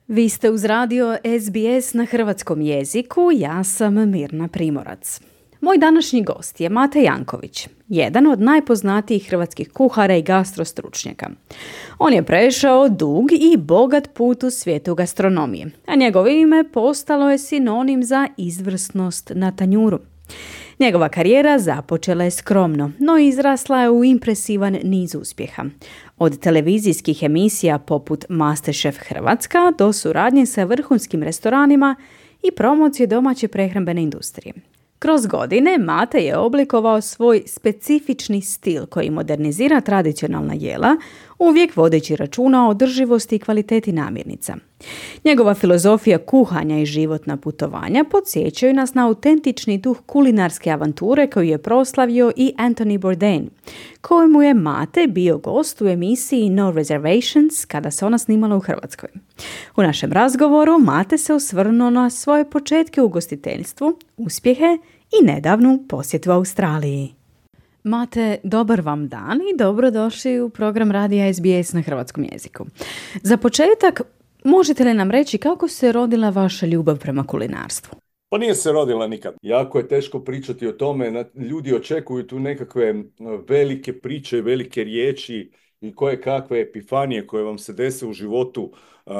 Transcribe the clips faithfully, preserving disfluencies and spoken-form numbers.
Vi ste uz radio S B S na hrvatskom jeziku, ja sam Mirna Primorac. Moj današnji gost je Mate Janković, jedan od najpoznatijih hrvatskih kuhara i gastrostručnjaka. On je prešao dug i bogat put u svijetu gastronomije, a njegovo ime postalo je sinonim za izvrsnost na tanjuru. Njegova karijera započela je skromno, no izrasla je u impresivan niz uspjeha. Od televizijskih emisija poput MasterChef Hrvatska do suradnje sa vrhunskim restoranima i promocije domaće prehrambene industrije. Kroz godine Mate je oblikovao svoj specifični stil koji modernizira tradicionalna jela, uvijek vodeći računa o održivosti i kvaliteti namirnica. Njegova filozofija kuhanja i životna putovanja podsjećaju nas na autentični duh kulinarske avanture koju je proslavio i Anthony Bourdain, kojemu je Mate bio gost u emisiji No Reservations kada se ona snimala u Hrvatskoj. U našem razgovoru Mate se osvrnuo na svoje početke u ugostiteljstvu, uspjehe i nedavnu posjetu Australiji. Mate, dobar vam dan i dobrodošli u program radija S B S na hrvatskom jeziku. Za početak, možete li nam reći kako se rodila vaša ljubav prema kulinarstvu? Pa nije se rodila nikad. Jako je teško pričati o tome. Ljudi očekuju tu nekakve velike priče, velike riječi i koje kakve epifanije koje vam se dese u životu. Uh,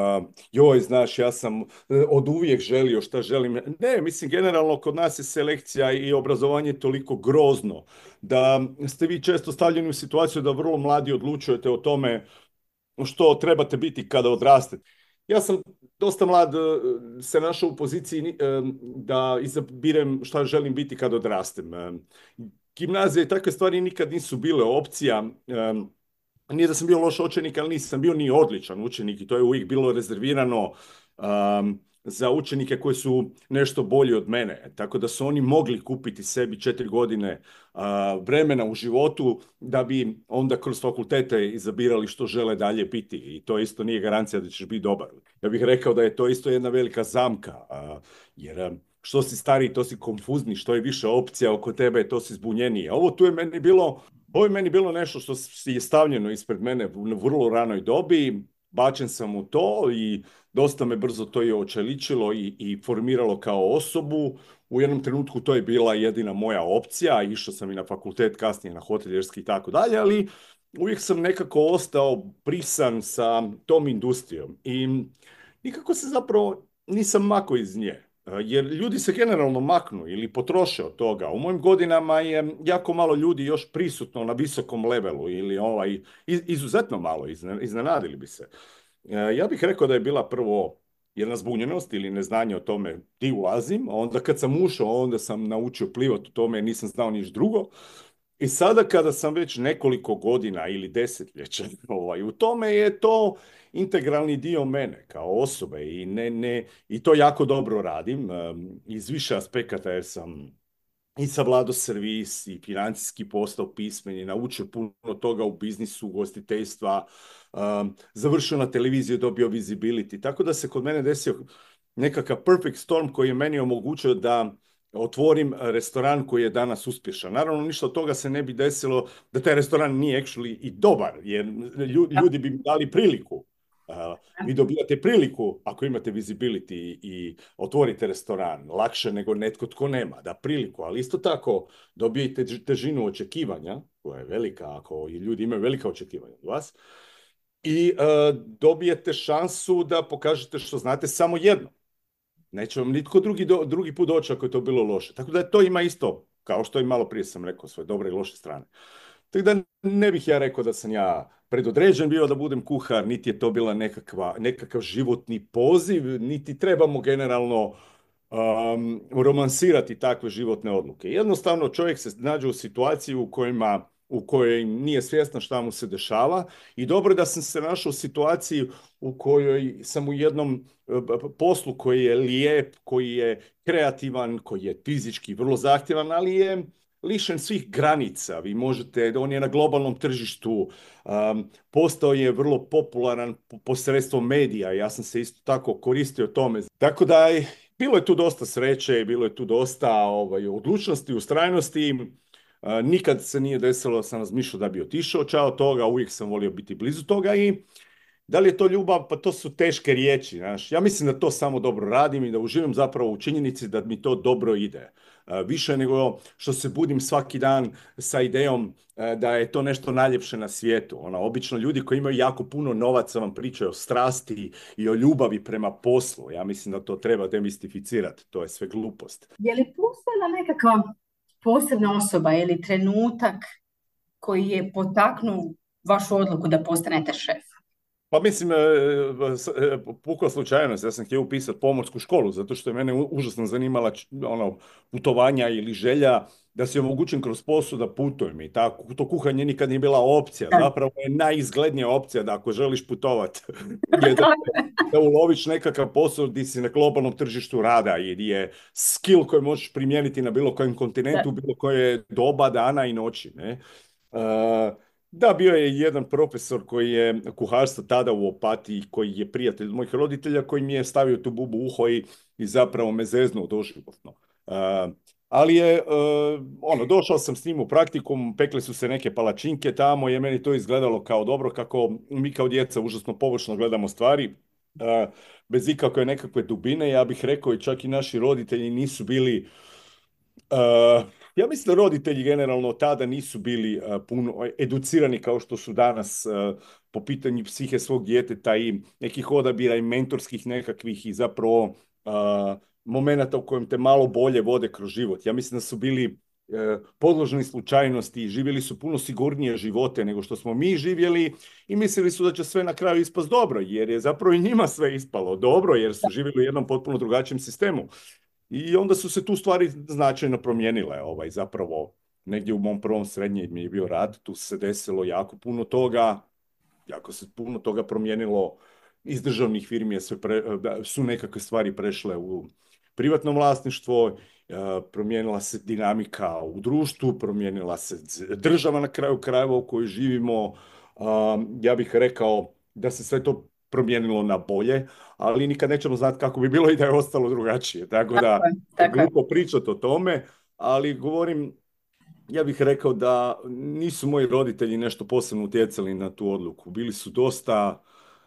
joj, znaš, ja sam od uvijek želio šta želim. Ne, mislim, generalno kod nas je selekcija i obrazovanje toliko grozno da ste vi često stavljeni u situaciju da vrlo mladi odlučujete o tome što trebate biti kada odrastete. Ja sam dosta mlad se našao u poziciji da izabirem šta želim biti kad odrastem. Gimnazija i takve stvari nikad nisu bile opcija. Nije da sam bio loš učenik, ali nisam bio ni odličan učenik i to je uvijek bilo rezervirano um, za učenike koji su nešto bolji od mene. Tako da su oni mogli kupiti sebi četiri godine uh, vremena u životu da bi onda kroz fakultete izabirali što žele dalje biti. I to isto nije garancija da ćeš biti dobar. Ja bih rekao da je to isto jedna velika zamka, uh, jer um, što si stariji, to si konfuzni, što je više opcija oko tebe, to si zbunjeniji. A ovo tu je meni bilo... Ovo je meni bilo nešto što je stavljeno ispred mene u vrlo ranoj dobi, bačen sam u to i dosta me brzo to je očeličilo i, i formiralo kao osobu. U jednom trenutku to je bila jedina moja opcija, išao sam i na fakultet, kasnije na hoteljerski i tako dalje, ali uvijek sam nekako ostao prisan sa tom industrijom i nikako se zapravo nisam makao iz nje. Jer ljudi se generalno maknu ili potroše od toga. U mojim godinama je jako malo ljudi još prisutno na visokom levelu ili ovaj, izuzetno malo, iznenadili bi se. Ja bih rekao da je bila prvo jedna zbunjenost ili neznanje o tome di ulazim, a onda kad sam ušao, onda sam naučio plivati u tome, nisam znao niš drugo. I sada kada sam već nekoliko godina ili desetljeća ovaj, u tome je to integralni dio mene kao osobe i, ne, ne, i to jako dobro radim um, iz više aspekata jer sam i savladao servis i financijski postao pismen i naučio puno toga u biznisu, ugostiteljstva, um, završio na televiziji, dobio visibility, tako da se kod mene desio nekakav perfect storm koji je meni omogućio da otvorim restoran koji je danas uspješan. Naravno, ništa od toga se ne bi desilo da taj restoran nije actually i dobar, jer ljudi bi mi dali priliku. Uh, vi dobijate priliku ako imate visibility i otvorite restoran lakše nego netko tko nema, da priliku, ali isto tako dobijete težinu očekivanja, koja je velika ako ljudi imaju velika očekivanja od vas, i uh, dobijete šansu da pokažete što znate samo jedno. Neće vam nitko drugi, do, drugi put doći ako je to bilo loše. Tako da to ima isto, kao što i malo prije sam rekao, svoje dobre i loše strane. Tako da ne bih ja rekao da sam ja predodređen bio da budem kuhar, niti je to bila nekakva, nekakav životni poziv, niti trebamo generalno um, romansirati takve životne odluke. Jednostavno čovjek se nađe u situaciji u kojima u kojoj nije svjestan šta mu se dešava i dobro je da sam se našao u situaciji u kojoj sam u jednom poslu koji je lijep, koji je kreativan, koji je fizički vrlo zahtjevan, ali je lišen svih granica. Vi možete, on je na globalnom tržištu, um, postao je vrlo popularan posredstvom medija. Ja sam se isto tako koristio tome. Tako da je, bilo je tu dosta sreće, bilo je tu dosta ovaj, odlučnosti, ustrajnosti. Uh, nikad se nije desilo da sam razmišljao da bi otišao čao toga, uvijek sam volio biti blizu toga i Da li je to ljubav? Pa to su teške riječi, znaš. Ja mislim da to samo dobro radim i da uživam zapravo u činjenici da mi to dobro ide. E, više nego što se budim svaki dan sa idejom e, da je to nešto najljepše na svijetu. Ono, obično ljudi koji imaju jako puno novaca vam pričaju o strasti i o ljubavi prema poslu. Ja mislim da to treba demistificirati. To je sve glupost. Je li postojala nekakva posebna osoba ili trenutak koji je potaknuo vašu odluku da postanete šef? Pa mislim, e, s- e, pukla slučajnost, ja sam htio upisati pomorsku školu, zato što je mene u- užasno zanimala č- ono, putovanja ili želja da si omogućim kroz posao da putujem i tako. To kuhanje nikad nije bila opcija, Da. zapravo je najizglednija opcija da ako želiš putovati, je da, da uloviš nekakav posao gdje si na globalnom tržištu rada i gdje je skill koji možeš primijeniti na bilo kojem kontinentu, Da. bilo koje doba, dana i noći, ne? E, da, bio je jedan profesor koji je kuharstvo tada u Opatiji, koji je prijatelj mojih roditelja, koji mi je stavio tu bubu u uho i, i zapravo me zeznuo doživotno. Uh, ali je, uh, ono, došao sam s njim u praktikum, pekle su se neke palačinke tamo, je meni to izgledalo kao dobro, kako mi kao djeca užasno površno gledamo stvari, uh, bez ikakve nekakve dubine, ja bih rekao i čak i naši roditelji nisu bili. Uh, ja mislim da roditelji generalno tada nisu bili uh, puno educirani kao što su danas uh, po pitanju psihe svog djeteta i nekih odabira i mentorskih nekakvih i zapravo uh, momenata u kojem te malo bolje vode kroz život. Ja mislim da su bili uh, podložni slučajnosti i živjeli su puno sigurnije živote nego što smo mi živjeli i mislili su da će sve na kraju ispast dobro, jer je zapravo i njima sve ispalo dobro, jer su živjeli u jednom potpuno drugačijem sistemu. I onda su se tu stvari značajno promijenile. Ovaj, zapravo, negdje u mom prvom srednjem mi je bio rad, tu se desilo jako puno toga, jako se puno toga promijenilo. Iz državnih firmi je sve pre- su nekakve stvari prešle u privatno vlasništvo, e, promijenila se dinamika u društvu, promijenila se z- država na kraju krajeva u kojoj živimo. A, ja bih rekao da se sve to promijenilo na bolje, ali nikad nećemo znati kako bi bilo i da je ostalo drugačije. Tako Tako da je, je tako je. glupo pričati o tome, ali govorim, ja bih rekao da nisu moji roditelji nešto posebno utjecali na tu odluku. Bili su dosta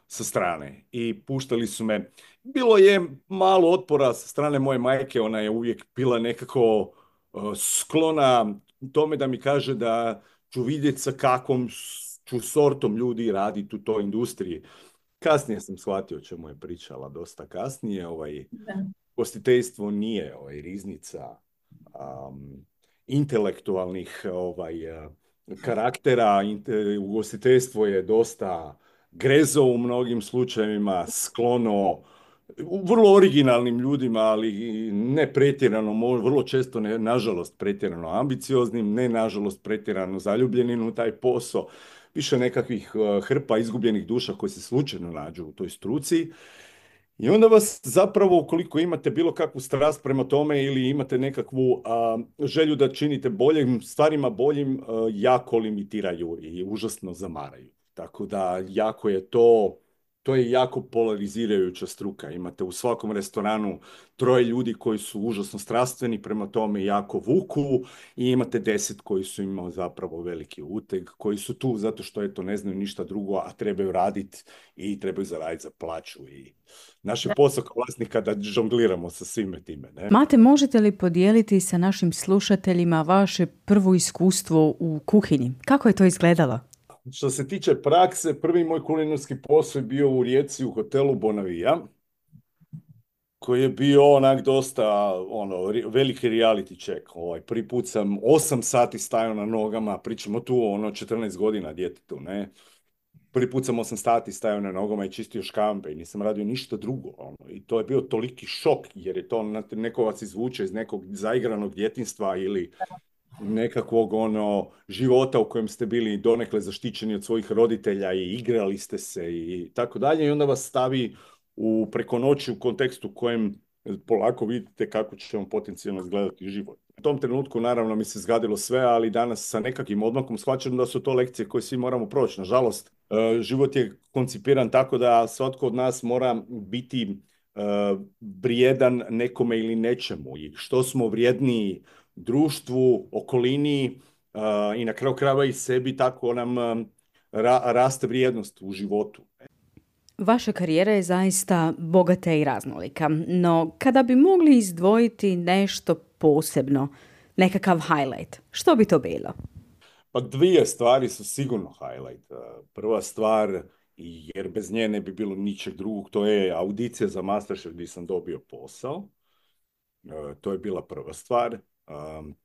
sa strane i puštali su me. Bilo je malo otpora sa strane moje majke, ona je uvijek bila nekako uh, sklona tome da mi kaže da ću vidjeti sa kakvom s- ću sortom ljudi raditi u toj industriji. Kasnije sam shvatio o čemu je pričala, dosta kasnije. Ovaj, Da. Gostiteljstvo nije ovaj, riznica um, intelektualnih ovaj, uh, karaktera. Inte- ugostiteljstvo je dosta grezo u mnogim slučajevima, sklono u vrlo originalnim ljudima, ali i ne pretjerano, mo- vrlo često ne, nažalost pretjerano ambicioznim, ne nažalost pretjerano zaljubljenim u taj posao, više nekakvih uh, hrpa izgubljenih duša koji se slučajno nađu u toj struci. I onda vas zapravo, ukoliko imate bilo kakvu strast prema tome ili imate nekakvu a, želju da činite boljim stvarima, boljim, a, jako limitiraju i užasno zamaraju. Tako da jako je to, to je jako polarizirajuća struka. Imate u svakom restoranu troje ljudi koji su užasno strastveni prema tome i jako vuku i imate deset koji su imali zapravo veliki uteg, koji su tu zato što eto ne znaju ništa drugo, a trebaju raditi i trebaju zaraditi za plaću i naš je posao kao vlasnika da žongliramo sa svime time, ne? Mate, možete li podijeliti sa našim slušateljima vaše prvo iskustvo u kuhinji? Kako je to izgledalo? Što se tiče prakse, prvi moj kulinarski posao je bio u Rijeci u hotelu Bonavija, koji je bio onak dosta ono, ri- veliki reality check. Ovaj, prvi put sam osam sati stajao na nogama, pričamo tu o ono četrnaest godina djetetu, ne? Prvi put sam osam sati stajao na nogama i čistio škampe i nisam radio ništa drugo. Ono. I to je bio toliki šok, jer je to, znate, neko vas izvuče iz nekog zaigranog djetinjstva ili nekakvog ono života u kojem ste bili donekle zaštićeni od svojih roditelja i igrali ste se i tako dalje i onda vas stavi u preko noći u kontekstu u kojem polako vidite kako će vam potencijalno izgledati život. U tom trenutku naravno mi se zgadilo sve, ali danas sa nekakvim odmakom shvaćam da su to lekcije koje svi moramo proći. Nažalost, e, život je koncipiran tako da svatko od nas mora biti e, vrijedan nekome ili nečemu i što smo vrijedniji društvu, okolini uh, i na kraju krajeva i sebi, tako nam um, ra- raste vrijednost u životu. Vaša karijera je zaista bogata i raznolika, no kada bi mogli izdvojiti nešto posebno, nekakav highlight, što bi to bilo? Pa dvije stvari su sigurno highlight. Prva stvar, jer bez nje ne bi bilo ničeg drugog, to je audicija za MasterChef gdje sam dobio posao. To je bila prva stvar.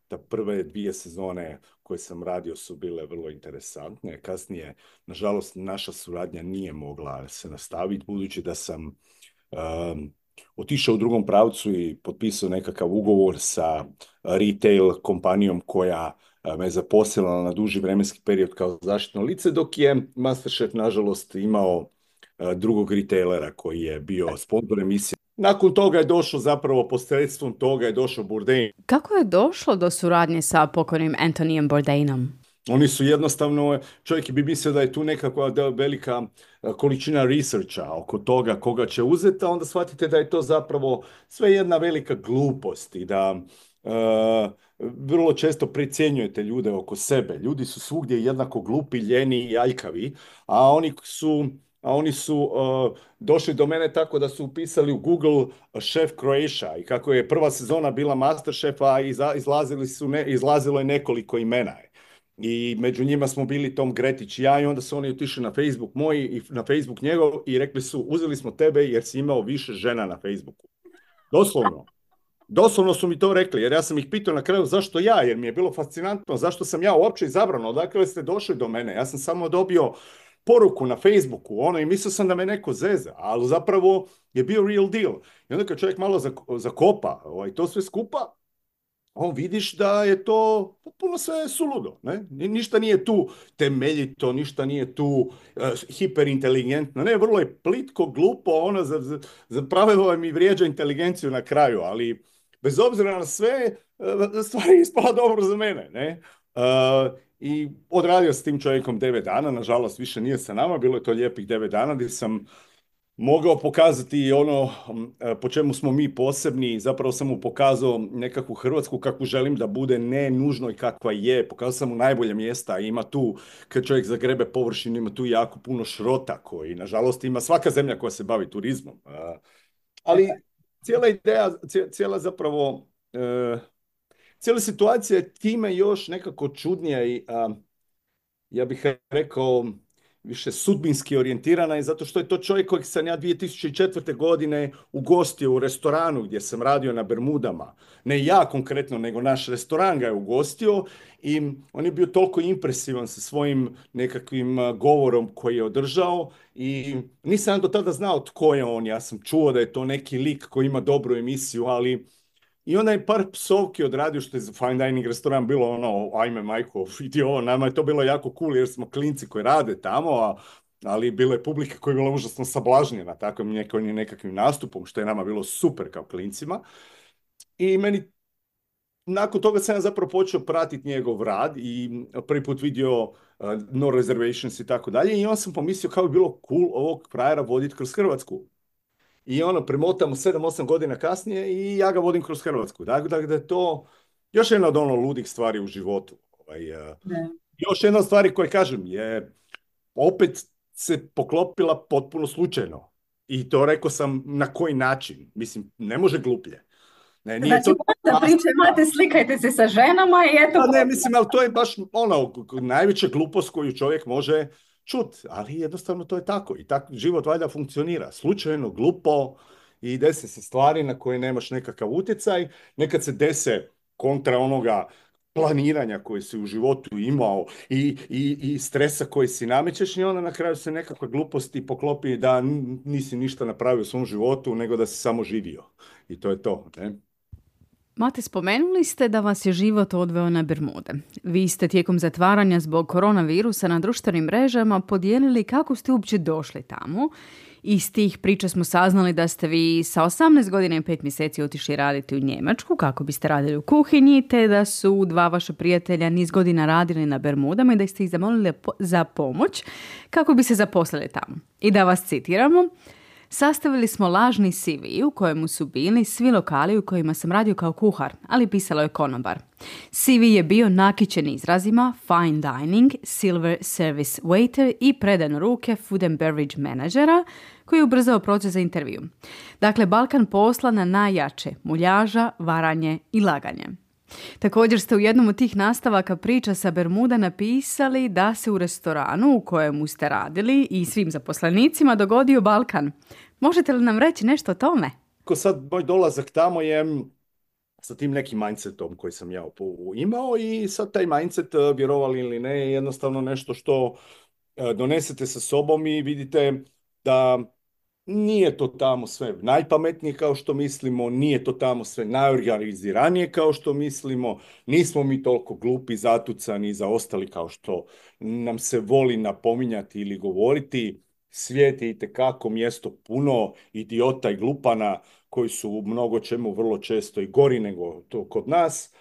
Ta prve dvije sezone koje sam radio su bile vrlo interesantne. Kasnije, nažalost, naša suradnja nije mogla se nastaviti, budući da sam um, otišao u drugom pravcu i potpisao nekakav ugovor sa retail kompanijom koja me zaposlila na duži vremenski period kao zaštitno lice, dok je MasterChef, nažalost, imao drugog retailera koji je bio sponzor emisije. Nakon toga je došlo, zapravo posredstvom toga je došao Bourdain. Kako je došlo do suradnje sa pokojnim Anthonyem Bourdainom? Oni su jednostavno, čovjek bi mislio da je tu nekakva velika količina researcha oko toga koga će uzeti, a onda shvatite da je to zapravo sve jedna velika glupost i da uh, vrlo često precjenjujete ljude oko sebe. Ljudi su svugdje jednako glupi, ljeni i aljkavi, a oni su... a oni su uh, došli do mene tako da su upisali u Google Chef Croatia i kako je prva sezona bila MasterChefa, iza, izlazili su ne, izlazilo je nekoliko imena. I među njima smo bili Tom Gretić i ja, i onda su oni otišli na Facebook moj i na Facebook njegov i rekli su, uzeli smo tebe jer si imao više žena na Facebooku. Doslovno. Doslovno su mi to rekli, jer ja sam ih pitao na kraju zašto ja, jer mi je bilo fascinantno, zašto sam ja uopće izabran, odakle ste došli do mene. Ja sam samo dobio poruku na Facebooku, ono, i mislio sam da me neko zeza, ali zapravo je bio real deal. I onda kad čovjek malo zakopa ovaj, to sve skupa, on vidiš da je to potpuno sve suludo. Ne? Ništa nije tu temeljito, ništa nije tu uh, hiperinteligentno. Ne, vrlo je plitko, glupo, ono, za, za pravilo mi vrijeđa inteligenciju na kraju, ali bez obzira na sve, uh, stvar je ispala dobro za mene. Ne? Uh, I odradio s tim čovjekom devet dana, nažalost više nije sa nama, bilo je to lijepih devet dana gdje sam mogao pokazati ono po čemu smo mi posebni. Zapravo sam mu pokazao nekakvu Hrvatsku kakvu želim da bude, ne nužno i kakva je. Pokazao sam mu najbolje mjesta, ima tu, kad čovjek zagrebe površinu, ima tu jako puno šrota koji, nažalost, ima svaka zemlja koja se bavi turizmom. Ali cijela ideja, cijela zapravo... Cijela situacija je time još nekako čudnija i a, ja bih rekao više sudbinski orijentirana, i zato što je to čovjek kojeg sam ja dvije tisuće četvrte. godine ugostio u restoranu gdje sam radio na Bermudama. Ne ja konkretno, nego naš restoran ga je ugostio i on je bio toliko impresivan sa svojim nekakvim govorom koji je održao i nisam do tada znao tko je on. Ja sam čuo da je to neki lik koji ima dobru emisiju, ali i onda je par psovki odradio, što je za fine dining restoran bilo ono, ajme majko, vidi ovo, nama je to bilo jako cool jer smo klinci koji rade tamo, a, ali bilo je publika koja je bila užasno sablažnjena takvim nekim, nekakvim nastupom, što je nama bilo super kao klincima. I meni, nakon toga sam ja zapravo počeo pratiti njegov rad i prvi put vidio uh, No Reservations i tako dalje, i onda sam pomislio kao bi bilo cool ovog frajera voditi kroz Hrvatsku. I ono, premotamo sedam osam godina kasnije i ja ga vodim kroz Hrvatsku. Dakle, da je to još jedna od ono ludih stvari u životu. Ovaj, još jedna od stvari koje kažem je, opet se poklopila potpuno slučajno. I to rekao sam na koji način. Mislim, ne može gluplje. Ne, nije znači, to... priče imate, slikajte se sa ženama i eto... Pa ne, mislim, ali to je baš ono, najveća glupost koju čovjek može čut, ali jednostavno to je tako. I tako život valjda funkcionira. Slučajno, glupo, i dese se stvari na koje nemaš nekakav utjecaj. Nekad se dese kontra onoga planiranja koje si u životu imao i, i, i stresa koji si namećeš, i onda na kraju se nekakva glupost i poklopi da nisi ništa napravio u svom životu, nego da si samo živio. I to je to, ne? Mate, spomenuli ste da vas je život odveo na Bermude. Vi ste tijekom zatvaranja zbog koronavirusa na društvenim mrežama podijelili kako ste uopće došli tamo. Iz tih priča smo saznali da ste vi sa osamnaest godina i pet mjeseci otišli raditi u Njemačku kako biste radili u kuhinji, te da su dva vaša prijatelja niz godina radili na Bermudama i da ste ih zamolili za pomoć kako bi se zaposlili tamo. I da vas citiramo: sastavili smo lažni C V u kojemu su bili svi lokali u kojima sam radio kao kuhar, ali pisalo je konobar. C V je bio nakićen izrazima fine dining, silver service waiter i predan ruke food and beverage menadžera, koji je ubrzao proces za intervju. Dakle, Balkan posla na najjače, muljaža, varanje i laganje. Također ste u jednom od tih nastavaka priča sa Bermuda napisali da se u restoranu u kojemu ste radili i svim zaposlenicima dogodio Balkan. Možete li nam reći nešto o tome? Ko sad moj dolazak tamo je sa tim nekim mindsetom koji sam ja imao i sad taj mindset, vjerovali ili ne, je jednostavno nešto što donesete sa sobom i vidite da nije to tamo sve najpametnije kao što mislimo, nije to tamo sve najorganiziranije kao što mislimo, nismo mi toliko glupi, zatucani i zaostali kao što nam se voli napominjati ili govoriti. Svijet je itekako mjesto puno idiota i glupana koji su u mnogo čemu vrlo često i gori nego to kod nas.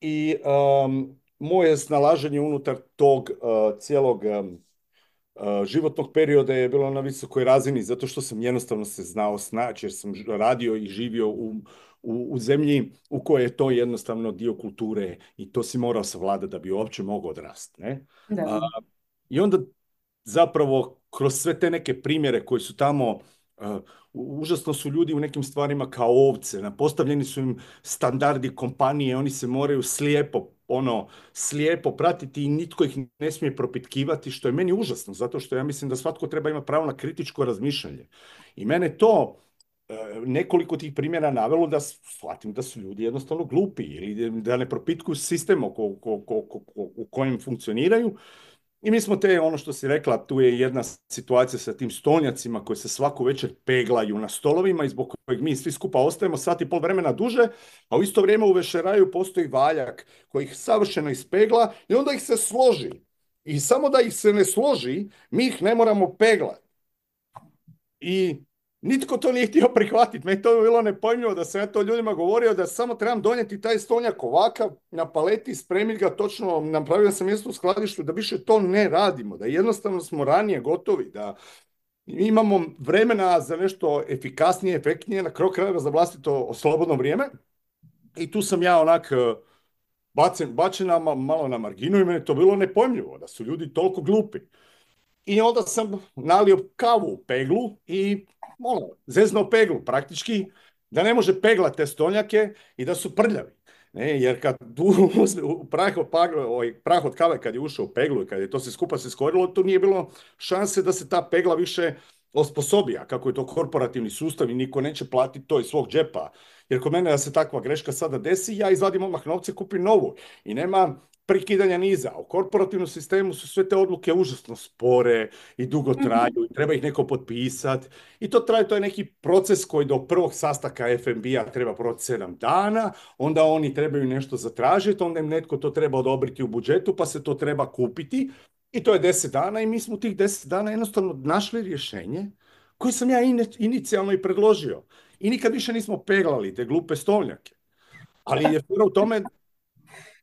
I um, moje snalaženje unutar tog uh, cijelog um, uh, životnog perioda je bilo na visokoj razini zato što sam jednostavno se znao snaći jer sam radio i živio u, u, u zemlji u kojoj je to jednostavno dio kulture i to si morao savladati da bi uopće mogao odrasti. Ne? Da. Uh, I onda zapravo kroz sve te neke primjere koji su tamo, uh, užasno su ljudi u nekim stvarima kao ovce, postavljeni su im standardi kompanije, oni se moraju slijepo, ono, slijepo pratiti i nitko ih ne smije propitkivati, što je meni užasno, zato što ja mislim da svatko treba imati pravo na kritičko razmišljanje. I mene to uh, nekoliko tih primjera navelo da shvatim da su ljudi jednostavno glupi ili da ne propitkuju sistem oko, oko, oko, u kojem funkcioniraju. I mi smo te, ono što si rekla, tu je jedna situacija sa tim stolnjacima koji se svaku večer peglaju na stolovima i zbog kojeg mi svi skupa ostajemo sat i pol vremena duže, a u isto vrijeme u vešeraju postoji valjak koji ih savršeno ispegla i onda ih se složi. I samo da ih se ne složi, mi ih ne moramo peglati. I nitko to nije htio prihvatiti. Meni to je bilo nepojmljivo da sam ja to ljudima govorio da samo trebam donijeti taj stolnjak ovakav na paleti, spremiti ga točno, napravio sam mjesto u skladištu da više to ne radimo, da jednostavno smo ranije gotovi, da imamo vremena za nešto efikasnije, efektnije, na kraju krajeva za vlastito slobodno vrijeme. I tu sam ja onak bacen, bačen malo na marginu i meni to bilo nepojmljivo da su ljudi toliko glupi. I onda sam nalio kavu u peglu i ono, zeznuo peglu praktički, da ne može peglati te stolnjake i da su prljavi. Ne, jer kad prah od, ovaj, prah od kave kad je ušao u peglu i kad je to se skupa se skorilo, to nije bilo šanse da se ta pegla više osposobi, a kako je to korporativni sustav i niko neće platiti to iz svog džepa. Jer kod mene da se takva greška sada desi, ja izvadim odmah novce, kupim novu i nema prekidanja niza. U korporativnom sistemu su sve te odluke užasno spore i dugo traju, i treba ih neko potpisati. I to traje, to je neki proces koji do prvog sastanka F N B-a treba proći sedam dana, onda oni trebaju nešto zatražiti, onda im netko to treba odobriti u budžetu, pa se to treba kupiti. I to je deset dana i mi smo u tih deset dana jednostavno našli rješenje koje sam ja inicijalno i predložio. I nikad više nismo peglali te glupe stolnjake. Ali je u tome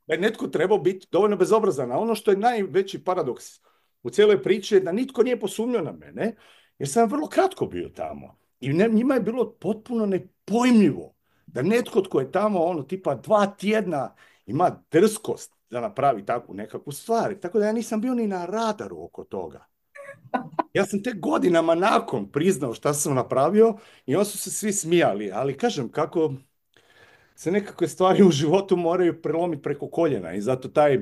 da je netko trebao biti dovoljno bezobrazan. A ono što je najveći paradoks u cijeloj priči je da nitko nije posumnjao na mene, jer sam vrlo kratko bio tamo. I ne, njima je bilo potpuno nepojmljivo da netko tko je tamo ono tipa dva tjedna ima drskost da napravi takvu nekakvu stvar. Tako da ja nisam bio ni na radaru oko toga. Ja sam te godinama nakon priznao šta sam napravio i oni su se svi smijali. Ali kažem, kako se nekakve stvari u životu moraju prelomiti preko koljena i zato taj,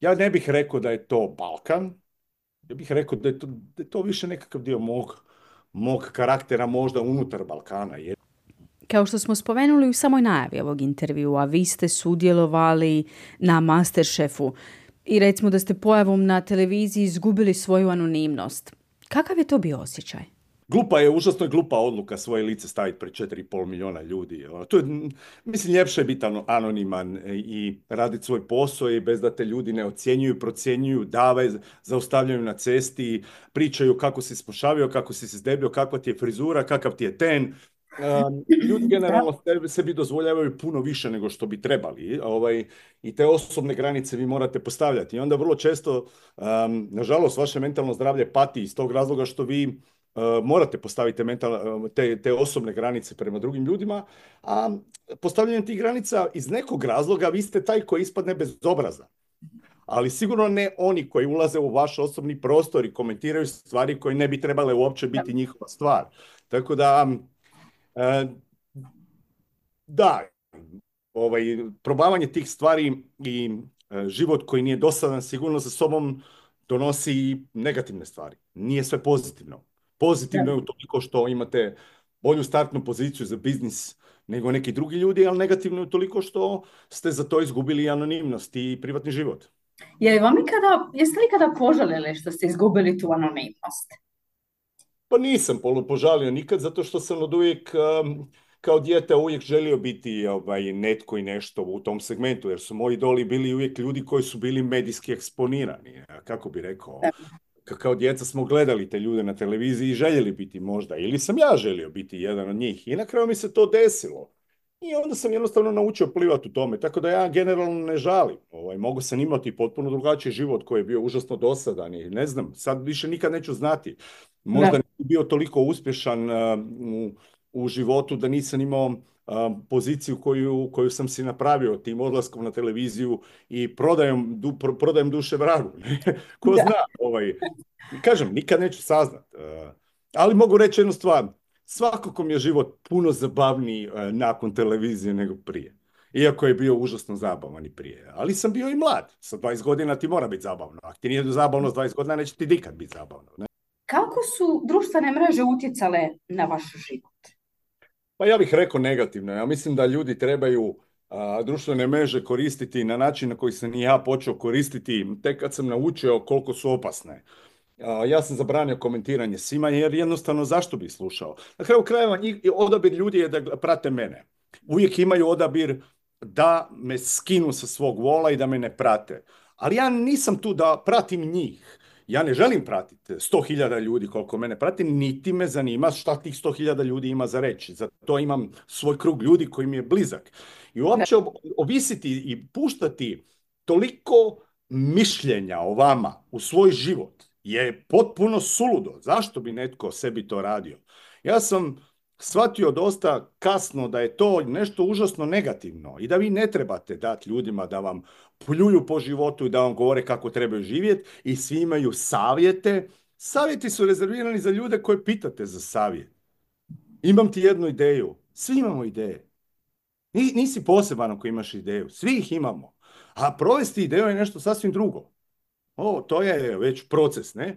ja ne bih rekao da je to Balkan, ja bih rekao da je to, da je to više nekakav dio mog, mog karaktera možda unutar Balkana. Kao što smo spomenuli u samoj najavi ovog intervjua, vi ste sudjelovali na Masterchefu i recimo da ste pojavom na televiziji izgubili svoju anonimnost. Kakav je to bio osjećaj? Glupa je, užasno je glupa odluka svoje lice staviti pred četiri i pol milijuna ljudi. To je, mislim, ljepše je biti anoniman i raditi svoj posao i bez da te ljudi ne ocjenjuju, procjenjuju, dave, zaustavljaju na cesti, pričaju kako si spošavio, kako si se zdebio, kakva ti je frizura, kakav ti je ten. Um, ljudi generalno sebi dozvoljavaju puno više nego što bi trebali. Ovaj, i te osobne granice vi morate postavljati. I onda vrlo često, um, nažalost, vaše mentalno zdravlje pati iz tog razloga što vi Uh, morate postaviti mental, te, te osobne granice prema drugim ljudima, a postavljanjem tih granica iz nekog razloga vi ste taj koji ispadne bezobrazan. ali sigurno ne oni koji ulaze u vaš osobni prostor i komentiraju stvari koje ne bi trebale uopće Da. biti njihova stvar. Tako da, e, da, ovaj, probavanje tih stvari i e, život koji nije dosadan sigurno sa sobom donosi i negativne stvari. Nije sve pozitivno. Pozitivno je Da. u toliko što imate bolju startnu poziciju za biznis nego neki drugi ljudi, ali negativno je toliko što ste za to izgubili anonimnost i privatni život. Je li vam ikada, jeste li ikada požalili što ste izgubili tu anonimnost? Pa nisam polo- požalio nikad, zato što sam od uvijek, um, kao dijete, uvijek želio biti ovaj, netko i nešto u tom segmentu, jer su moji idoli bili uvijek ljudi koji su bili medijski eksponirani. A kako bi rekao, Da. ka- kao djeca smo gledali te ljude na televiziji i željeli biti možda, ili sam ja želio biti jedan od njih. I na kraju mi se to desilo. I onda sam jednostavno naučio plivati u tome, tako da ja generalno ne žalim. Ovaj, mogu sam imati potpuno drugačiji život koji je bio užasno dosadan i ne znam, sad više nikad neću znati. Možda Da. ne bi bio toliko uspješan uh, u, u životu da nisam imao uh, poziciju koju, koju sam si napravio tim odlaskom na televiziju i prodajom, du, pro- prodajem duše vragu. Ko Da. zna, ovaj, kažem, nikad neću saznat. Uh, ali mogu reći jednu stvar. Svakako mi je život puno zabavniji e, nakon televizije nego prije. Iako je bio užasno zabavan i prije. Ali sam bio i mlad. Sa dvadeset godina ti mora biti zabavno. Ako ti nije zabavno s dvadeset godina, neće ti nikad biti zabavno. Ne? Kako su društvene mreže utjecale na vaš život? Pa ja bih rekao negativno. Ja mislim da ljudi trebaju a, društvene mreže koristiti na način na koji sam i ja počeo koristiti tek kad sam naučio koliko su opasne. A, ja sam zabranio komentiranje svima jer jednostavno zašto bih slušao? Na kraju krajeva njih- odabir ljudi je da gl- prate mene. Uvijek imaju odabir da me skinu sa svog vola i da me ne prate. Ali ja nisam tu da pratim njih. Ja ne želim pratiti sto hiljada ljudi koliko mene prati, niti me zanima šta tih sto hiljada ljudi ima za reći. Zato imam svoj krug ljudi koji mi je blizak. I Da. uopće ob- ovisiti i puštati toliko mišljenja o vama u svoj život je potpuno suludo. Zašto bi netko sebi to radio? Ja sam shvatio dosta kasno da je to nešto užasno negativno i da vi ne trebate dati ljudima da vam pljuju po životu i da vam govore kako trebaju živjeti i svi imaju savjete. Savjeti su rezervirani za ljude koje pitate za savjet. Imam ti jednu ideju. Svi imamo ideje. Ni- Nisi poseban ako imaš ideju. Svi ih imamo. A provesti ideju je nešto sasvim drugo. O, to je već proces, ne?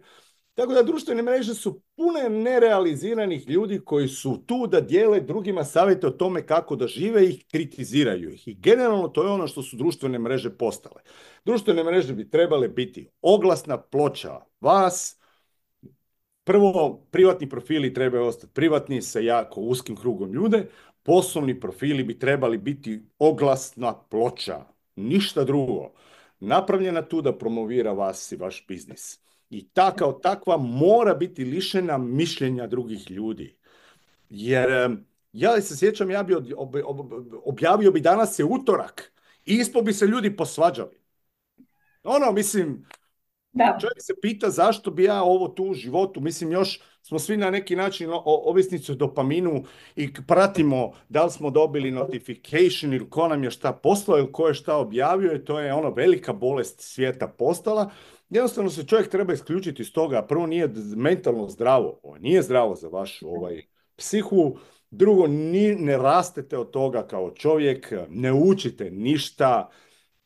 Tako da društvene mreže su pune nerealiziranih ljudi koji su tu da dijele drugima savjete o tome kako da žive i kritiziraju ih. I generalno to je ono što su društvene mreže postale. Društvene mreže bi trebale biti oglasna ploča vas. Prvo, privatni profili trebaju ostati privatni sa jako uskim krugom ljude. Poslovni profili bi trebali biti oglasna ploča. Ništa drugo. Napravljena tu da promovira vas i vaš biznis. I ta kao takva mora biti lišena mišljenja drugih ljudi. Jer em, ja se sjećam, ja bi od- ob- ob- objavio bi danas je utorak i ispod bi se ljudi posvađali. Ono, mislim, Da. čovjek se pita zašto bi ja ovo tu u životu, mislim još smo svi na neki način o- o- ovisnici o dopaminu i k- pratimo da li smo dobili notification ili ko nam je šta poslao ili ko je šta objavio i to je ono velika bolest svijeta postala. Jednostavno se čovjek treba isključiti iz toga. Prvo nije d- mentalno zdravo, ovo nije zdravo za vašu ovaj, psihu. Drugo, ni, ne rastete od toga kao čovjek, ne učite ništa,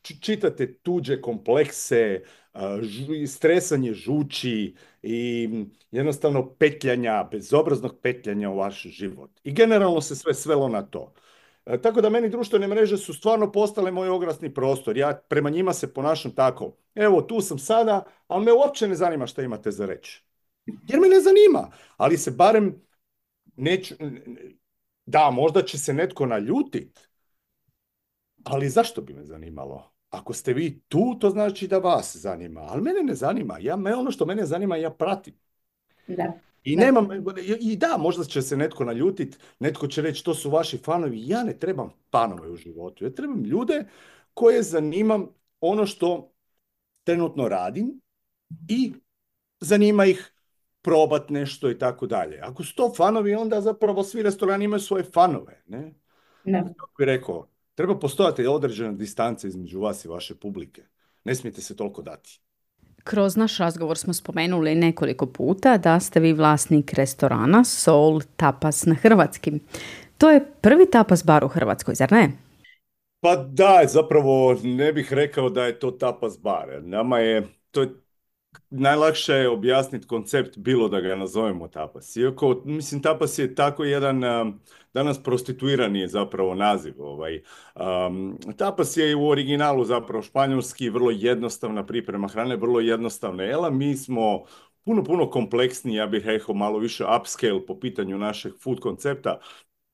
či- čitate tuđe komplekse, a, žu- stresanje žuči i mm, jednostavno petljanja, bezobraznog petljanja u vaš život. I generalno se sve svelo na to. E, Tako da meni društvene mreže su stvarno postale moj oglasni prostor. Ja prema njima se ponašam tako. Evo, tu sam sada, ali me uopće ne zanima šta imate za reći. Jer me ne zanima, ali se barem neću... Da, možda će se netko naljutit, ali zašto bi me zanimalo? Ako ste vi tu, to znači da vas zanima. Ali mene ne zanima. Ja, me, ono što mene zanima, ja pratim. Da. I Da. nemam, i da, možda će se netko naljutit, netko će reći to su vaši fanovi. Ja ne trebam fanove u životu. Ja trebam ljude koje zanimam ono što trenutno radim i zanima ih probat nešto i tako dalje. Ako su to fanovi, onda zapravo svi restorani imaju svoje fanove, ne? Da. Kako bi rekao, treba postojati određena distanca između vas i vaše publike. ne smijete se toliko dati. Kroz naš razgovor smo spomenuli nekoliko puta da ste vi vlasnik restorana Soul Tapas na hrvatskim. To je prvi tapas bar u Hrvatskoj, zar ne? Pa da, zapravo ne bih rekao da je to tapas bar. Nama je, to je najlakše je objasniti koncept bilo da ga nazovemo tapas. Iako, mislim, tapas je tako jedan, um, danas prostituirani je zapravo naziv. Ovaj. Um, tapas je u originalu zapravo španjolski, vrlo jednostavna priprema hrane, vrlo jednostavna jela. Mi smo puno, puno kompleksniji, ja bih rekao malo više upscale po pitanju našeg food koncepta.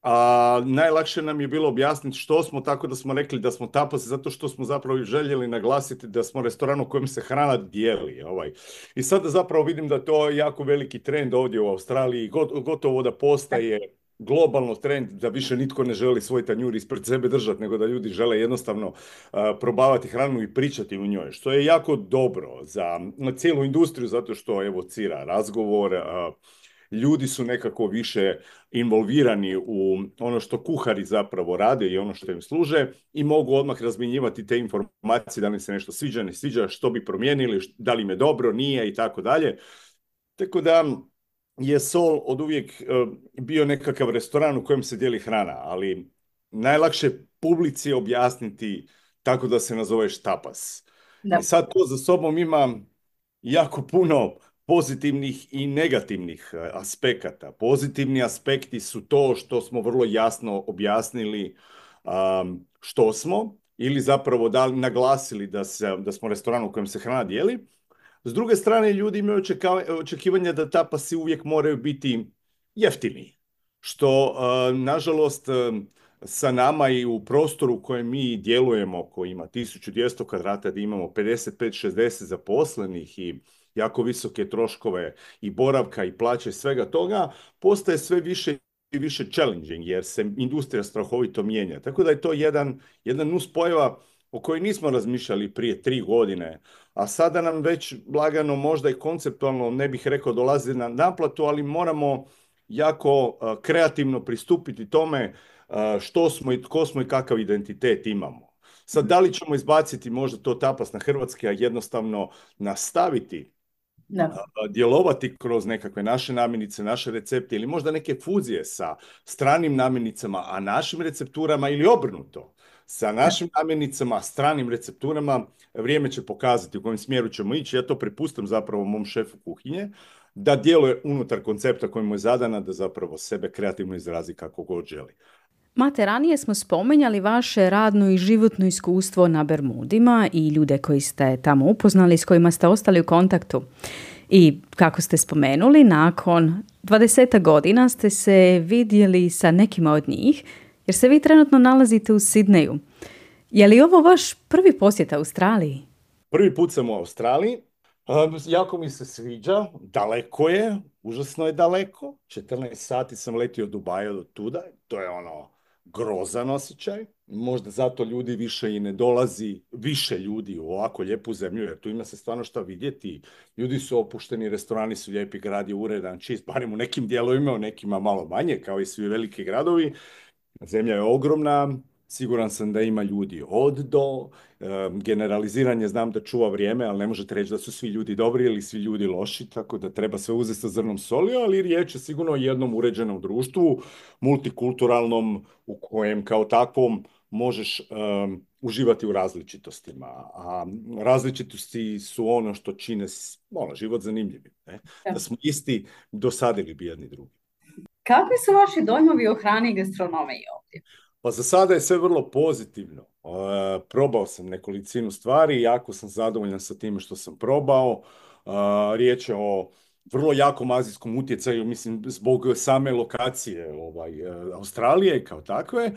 A najlakše nam je bilo objasniti što smo, tako da smo rekli da smo tapas, zato što smo zapravo željeli naglasiti da smo restoran u kojem se hrana dijeli. Ovaj. I sada zapravo vidim da to je jako veliki trend ovdje u Australiji, gotovo da postaje globalno trend da više nitko ne želi svoj tanjur ispred sebe držati, nego da ljudi žele jednostavno uh, probavati hranu i pričati u njoj, što je jako dobro za cijelu industriju, zato što evocira razgovor, uh, ljudi su nekako više involvirani u ono što kuhari zapravo rade i ono što im služe i mogu odmah razmjenjivati te informacije, da li se nešto sviđa, ne sviđa, što bi promijenili, da li im je dobro, nije i tako dalje. Tako da je Soul od uvijek uh, bio nekakav restoran u kojem se dijeli hrana, ali najlakše publici objasniti tako da se nazoveš tapas. Da. I sad to za sobom ima jako puno pozitivnih i negativnih aspekata. Pozitivni aspekti su to što smo vrlo jasno objasnili um, što smo ili zapravo da, naglasili da, se, da smo restoran u kojem se hrana dijeli. S druge strane, ljudi imaju očekivanja da tapasi uvijek moraju biti jeftini, što uh, nažalost uh, sa nama i u prostoru u kojem mi djelujemo, koji ima tisuću dvjesto kvadrata, da imamo pedeset pet šezdeset zaposlenih i jako visoke troškove i boravka i plaće i svega toga, postaje sve više i više challenging jer se industrija strahovito mijenja. Tako da je to jedan, jedan nuspojava o kojoj nismo razmišljali prije tri godine, a sada nam već lagano možda i konceptualno, ne bih rekao dolazi na naplatu, ali moramo jako uh, kreativno pristupiti tome uh, što smo i tko smo i kakav identitet imamo. Sad, da li ćemo izbaciti možda to tapas na hrvatski, a jednostavno nastaviti Da. djelovati kroz nekakve naše namirnice, naše recepte ili možda neke fuzije sa stranim namirnicama, a našim recepturama ili obrnuto. Sa našim namirnicama, stranim recepturama, vrijeme će pokazati u kojem smjeru ćemo ići. Ja to prepustam zapravo mom šefu kuhinje, da djeluje unutar koncepta koji mu je zadana, da zapravo sebe kreativno izrazi kako god želi. Mate, ranije smo spomenjali vaše radno i životno iskustvo na Bermudima i ljude koji ste tamo upoznali, s kojima ste ostali u kontaktu. I kako ste spomenuli, nakon dvadeset godina ste se vidjeli sa nekima od njih, jer se vi trenutno nalazite u Sidneju. Je li ovo vaš prvi posjet Australiji? Prvi put sam u Australiji. Um, jako mi se sviđa, daleko je, užasno je daleko. četrnaest sati sam letio od Dubaja do tuda, to je ono grozan osjećaj. Možda zato ljudi više i ne dolazi, više ljudi u ovako lijepu zemlju, jer tu ima se stvarno šta vidjeti. Ljudi su opušteni, restorani su lijepi, grad je uredan, čist, barem u nekim dijelovima, u nekima malo manje, kao i svi veliki gradovi. Zemlja je ogromna, siguran sam da ima ljudi od do, generaliziranje znam da čuva vrijeme, ali ne možete reći da su svi ljudi dobri ili svi ljudi loši, tako da treba sve uzeti sa zrnom soli, ali riječ je sigurno o jednom uređenom društvu, multikulturalnom, u kojem kao takvom možeš um, uživati u različitostima, a različitosti su ono što čine ono, život zanimljivim. Ne? Da smo isti, dosadili bi jedni drugi. Kakvi su vaši dojmovi o hrani i gastronomiji ovdje? Pa za sada je sve vrlo pozitivno. Uh, probao sam nekolicinu stvari, jako sam zadovoljan sa time što sam probao. Uh, riječ je o vrlo jakom azijskom utjecaju, mislim, zbog same lokacije ovaj, uh, Australije kao takve,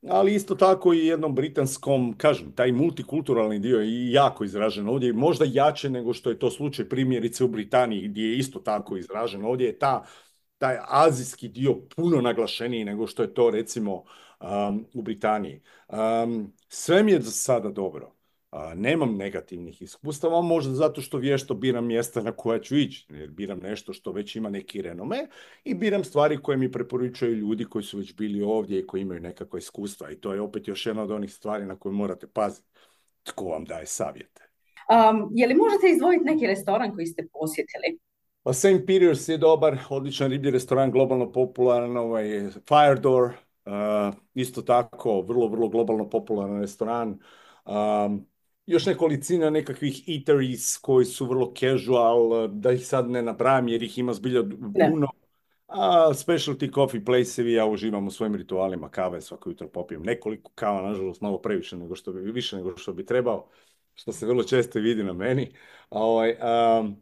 ali isto tako i jednom britanskom, kažem, taj multikulturalni dio je jako izražen ovdje, možda jače nego što je to slučaj primjerice u Britaniji, gdje je isto tako izražen. Ovdje je ta, taj azijski dio puno naglašeniji nego što je to recimo Um, u Britaniji. Um, sve mi je za sada dobro. Uh, nemam negativnih iskustava, možda zato što vješto biram mjesta na koja ću ići, jer biram nešto što već ima neki renome i biram stvari koje mi preporučuju ljudi koji su već bili ovdje i koji imaju nekakva iskustva. I to je opet još jedna od onih stvari na koje morate paziti. Tko vam daje savjete? Um, je li možete izdvojiti neki restoran koji ste posjetili? Pa saint Peter's je dobar, odličan riblji restoran, globalno popularan, ovaj Fire Door, uh, isto tako, vrlo, vrlo globalno popularan restoran. Um, još nekolicina nekakvih eateries koji su vrlo casual, da ih sad ne nabrajam jer ih ima zbilja Ne. puno. A specialty coffee place-evi, ja uživam u svojim ritualima kave, svako jutro popijem nekoliko kava, nažalost malo previše nego što bi, više nego što bi trebao, što se vrlo često vidi na meni. A, ovaj, um,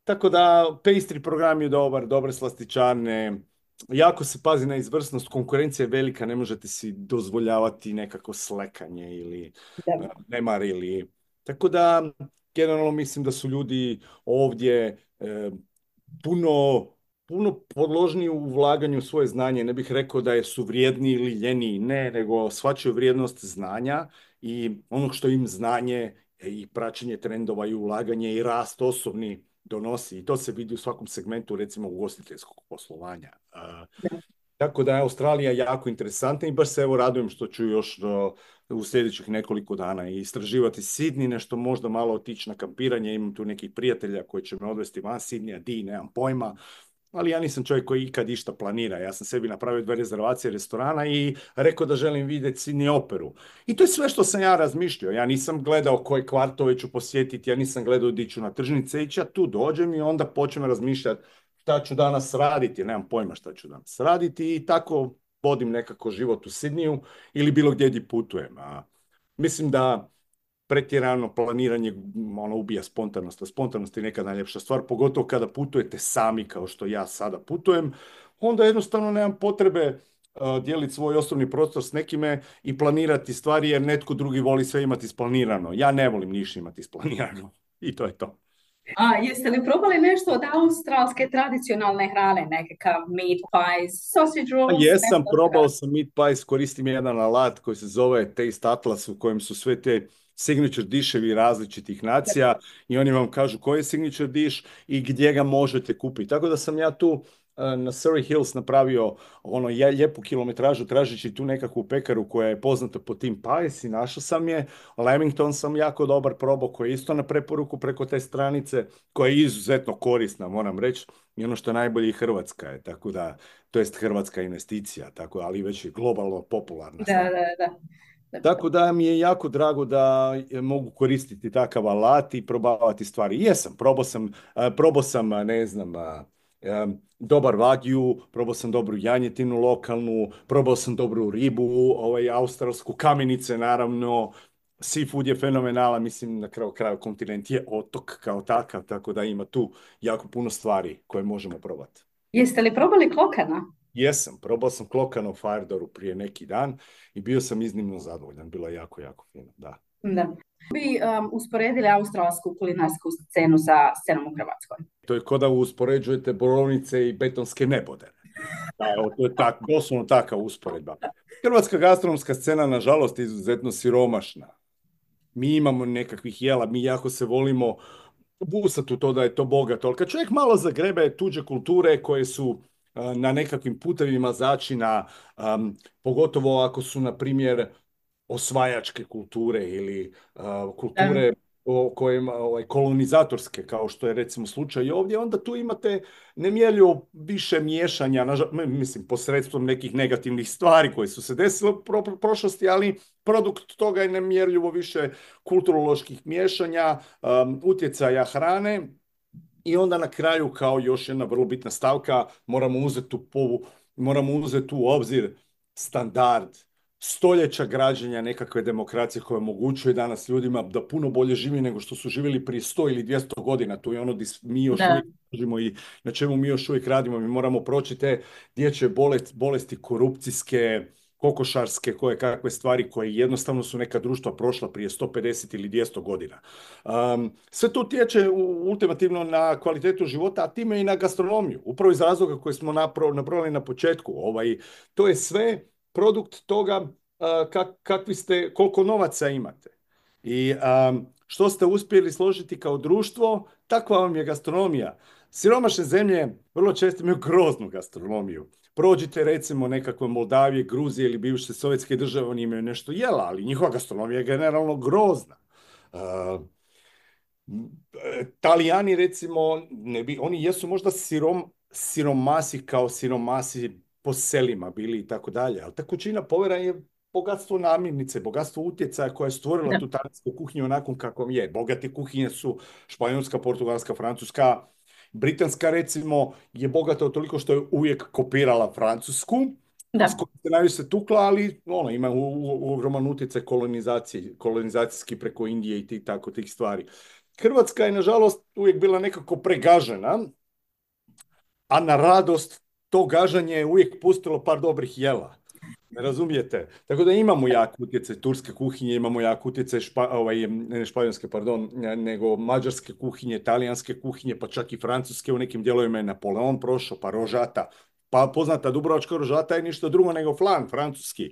tako da, pastry program je dobar, dobre slastičarne, jako se pazi na izvrsnost, konkurencija je velika, ne možete si dozvoljavati nekako slekanje ili Da. uh, nemar ili... Tako da, generalno mislim da su ljudi ovdje eh, puno, puno podložniji u ulaganju u svoje znanje. Ne bih rekao da je su vrijedni ili ljeniji, ne, nego shvaćaju vrijednost znanja i onog što im znanje i praćenje trendova i ulaganje i rast osobni donosi. I to se vidi u svakom segmentu, recimo ugostiteljskog poslovanja. A, tako da je Australija jako interesantna i baš se evo radujem što ću još do, u sljedećih nekoliko dana i istraživati Sidney, nešto možda malo otići na kampiranje. Imam tu nekih prijatelja koji će me odvesti van Sidneya, di, nemam pojma. Ali ja nisam čovjek koji ikad išta planira. Ja sam sebi napravio dve rezervacije restorana i rekao da želim vidjeti Sydney operu. I to je sve što sam ja razmišljao. Ja nisam gledao koje kvartove ću posjetiti, ja nisam gledao di ću na tržnice ići, ja tu dođem i onda počnem razmišljati šta ću danas raditi. Nemam pojma šta ću danas raditi i tako vodim nekako život u Sidneyu ili bilo gdje gdje putujem. A mislim da pretjerano planiranje ono ubija spontanost, a spontanost je neka najljepša stvar, pogotovo kada putujete sami kao što ja sada putujem, onda jednostavno nemam potrebe uh, dijeliti svoj osobni prostor s nekime i planirati stvari jer netko drugi voli sve imati isplanirano. Ja ne volim ništa imati isplanirano i to je to. A jeste li probali nešto od australske tradicionalne hrane, nekakav meat pies, sausage Pa rolls, jesam, nešto probao tako? sam meat pies, koristim jedan alat koji se zove Taste Atlas u kojem su sve te signature dishevi različitih nacija i oni vam kažu koji je signature dish i gdje ga možete kupiti. Tako da sam ja tu eh, na Surrey Hills napravio ono je- lijepu kilometražu tražeći tu nekakvu pekaru koja je poznata po tim pies i našao sam je. Lamington sam jako dobar probao koji je isto na preporuku preko te stranice koja je izuzetno korisna, moram reći. I ono što je najbolje i Hrvatska je, tako da to jest hrvatska investicija, tako, ali već je globalno popularna Da, sad. da, da. Da. Tako da mi je jako drago da je- mogu koristiti takav alat i probavati stvari. Jesam, probao sam, a, probao sam, a, ne znam, a, em, dobar wagyu, probao sam dobru janjetinu lokalnu, probao sam dobru ribu, ovaj, australsku, kamenice naravno, seafood je fenomenalan, mislim na kraju kraju kontinent je otok kao takav, tako da ima tu jako puno stvari koje možemo probati. Jeste li probali klokana? Jesam, probao sam Klokano u Firedoru prije neki dan i bio sam iznimno zadovoljan. Bilo je jako, jako fino, da. Da. Bi um, usporedili australsku kulinarsku scenu sa scenom u Hrvatskoj? To je kao da uspoređujete borovnice i betonske nebodere. Da, evo, to je tak, doslovno takva usporedba. Hrvatska gastronomska scena, nažalost, je izuzetno siromašna. Mi imamo nekakvih jela, mi jako se volimo busati u to da je to bogato, ali kad čovjek malo zagrebe tuđe kulture koje su a, na nekakvim putevima začina, am, pogotovo ako su, na primjer, osvajačke kulture ili a, Da. kulture o kojima, ovaj, kolonizatorske, kao što je recimo slučaj ovdje, onda tu imate nemjerljivo više miješanja, nažal, mislim, posredstvom nekih negativnih stvari koje su se desile u pro- prošlosti, ali produkt toga je nemjerljivo više kulturoloških miješanja, um, utjecaja hrane i onda na kraju kao još jedna vrlo bitna stavka moramo uzeti u, povu, moramo uzeti u obzir standard stoljeća građenja nekakve demokracije koja omogućuje danas ljudima da puno bolje živi nego što su živjeli prije sto ili dvjesto godina. To je ono gdje mi još Da. uvijek držimo i na čemu mi još uvijek radimo. Mi moramo proći te dječje bolesti, bolesti korupcijske, kokošarske, koje kakve stvari koje jednostavno su neka društva prošla prije sto pedeset ili dvjesto godina. Um, sve to utječe u- ultimativno na kvalitetu života, a time i na gastronomiju. Upravo iz razloga koje smo napro- nabrojali na početku. Ovaj, to je sve produkt toga uh, kak- kakvi ste, koliko novaca imate. I um, što ste uspjeli složiti kao društvo, takva vam je gastronomija. Siromašne zemlje vrlo često imaju groznu gastronomiju. Prođite recimo nekakve Moldavije, Gruzije ili bivše sovjetske države, oni imaju nešto jela, ali njihova gastronomija je generalno grozna. Uh, E, Talijani recimo, ne bi, oni jesu možda sirom, siromasi kao siromasi po selima bili i tako dalje, ali ta kućina povera je bogatstvo namirnice, bogatstvo utjecaja koja je stvorila Da, tu talijansku kuhinju onakvom kakvom je. Bogate kuhinje su španjolska, portugalska, francuska, britanska recimo je bogata toliko što je uvijek kopirala francusku, s da, kojom se najviše tukla, ali ono, ima u, u, ogroman utjecaj kolonizacije, kolonizacijski preko Indije i ti, tako tih stvari. Hrvatska je, nažalost, uvijek bila nekako pregažena, a na radost to gažanje je uvijek pustilo par dobrih jela. Ne razumijete? Tako da imamo jak utjecaj turske kuhinje, imamo jak utjecaj špa, ovaj, ne španjolske, pardon, nego mađarske kuhinje, talijanske kuhinje, pa čak i francuske u nekim dijelovima je Napoleon prošao, pa rožata. Pa poznata dubrovačka rožata je ništa drugo nego flan francuski.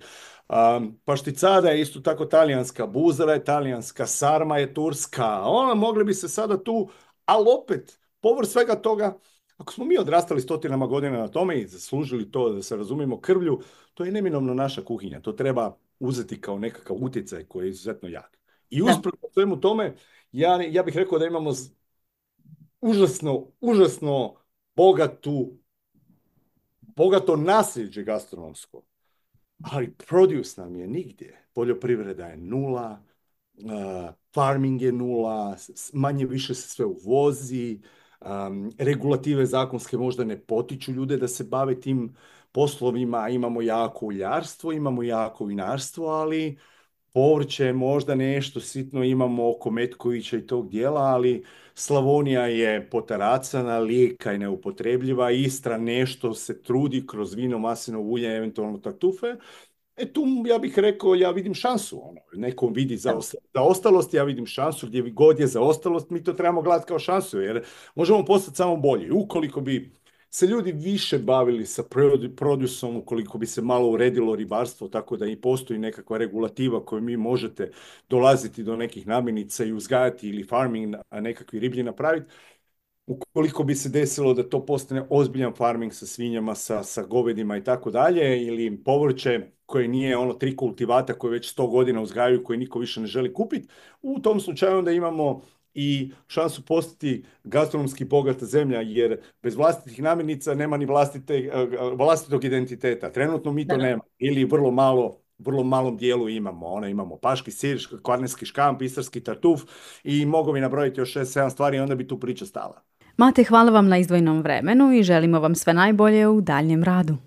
Um, pašticada je isto tako talijanska, buzara je talijanska, sarma je turska. Ona mogli bi se sada tu, ali opet, povrh svega toga, ako smo mi odrastali stotinama godina na tome i zaslužili to, da se razumijemo, krvlju, to je neminovno naša kuhinja. To treba uzeti kao nekakav utjecaj koji je izuzetno jak. I da, usprkos svemu tome, ja, ja bih rekao da imamo z- užasno, užasno bogatu, bogato nasljeđe gastronomsko, ali produce nam je nigdje. Poljoprivreda je nula, uh, farming je nula, s- manje više se sve uvozi, um, regulative zakonske možda ne potiču ljude da se bave tim poslovima, imamo jako uljarstvo, imamo jako vinarstvo, ali povrće, možda nešto sitno imamo oko Metkovića i tog dijela, ali Slavonija je potaracana, Lijeka je neupotrebljiva, Istra nešto se trudi kroz vino, maslinovo ulje, eventualno tartufe. E tu ja bih rekao, ja vidim šansu. Ono. Neko vidi za, da, zaostalost, ja vidim šansu. Gdje god je zaostalost, mi to trebamo gledati kao šansu, jer možemo postati samo bolji. Ukoliko bi se ljudi više bavili sa produ- produsom, ukoliko bi se malo uredilo ribarstvo, tako da i postoji nekakva regulativa koju mi možete dolaziti do nekih namirnica i uzgajati ili farming, a nekakvi riblji napraviti, ukoliko bi se desilo da to postane ozbiljan farming sa svinjama, sa, sa govedima i tako dalje, ili povrće koje nije ono tri kultivata koje već sto godina uzgajaju, koje niko više ne želi kupiti, u tom slučaju onda imamo i šansu postati gastronomski bogata zemlja, jer bez vlastitih namirnica nema ni vlastite, eh, vlastitog identiteta. Trenutno mi to da. nema, ili vrlo malo vrlo malom dijelu imamo. Ona imamo paški sir, kvarnerski škamp, istarski tartuf i mogu bi nabrojiti još šest sedam stvari i onda bi tu priča stala. Mate, hvala vam na izdvojenom vremenu i želimo vam sve najbolje u daljem radu.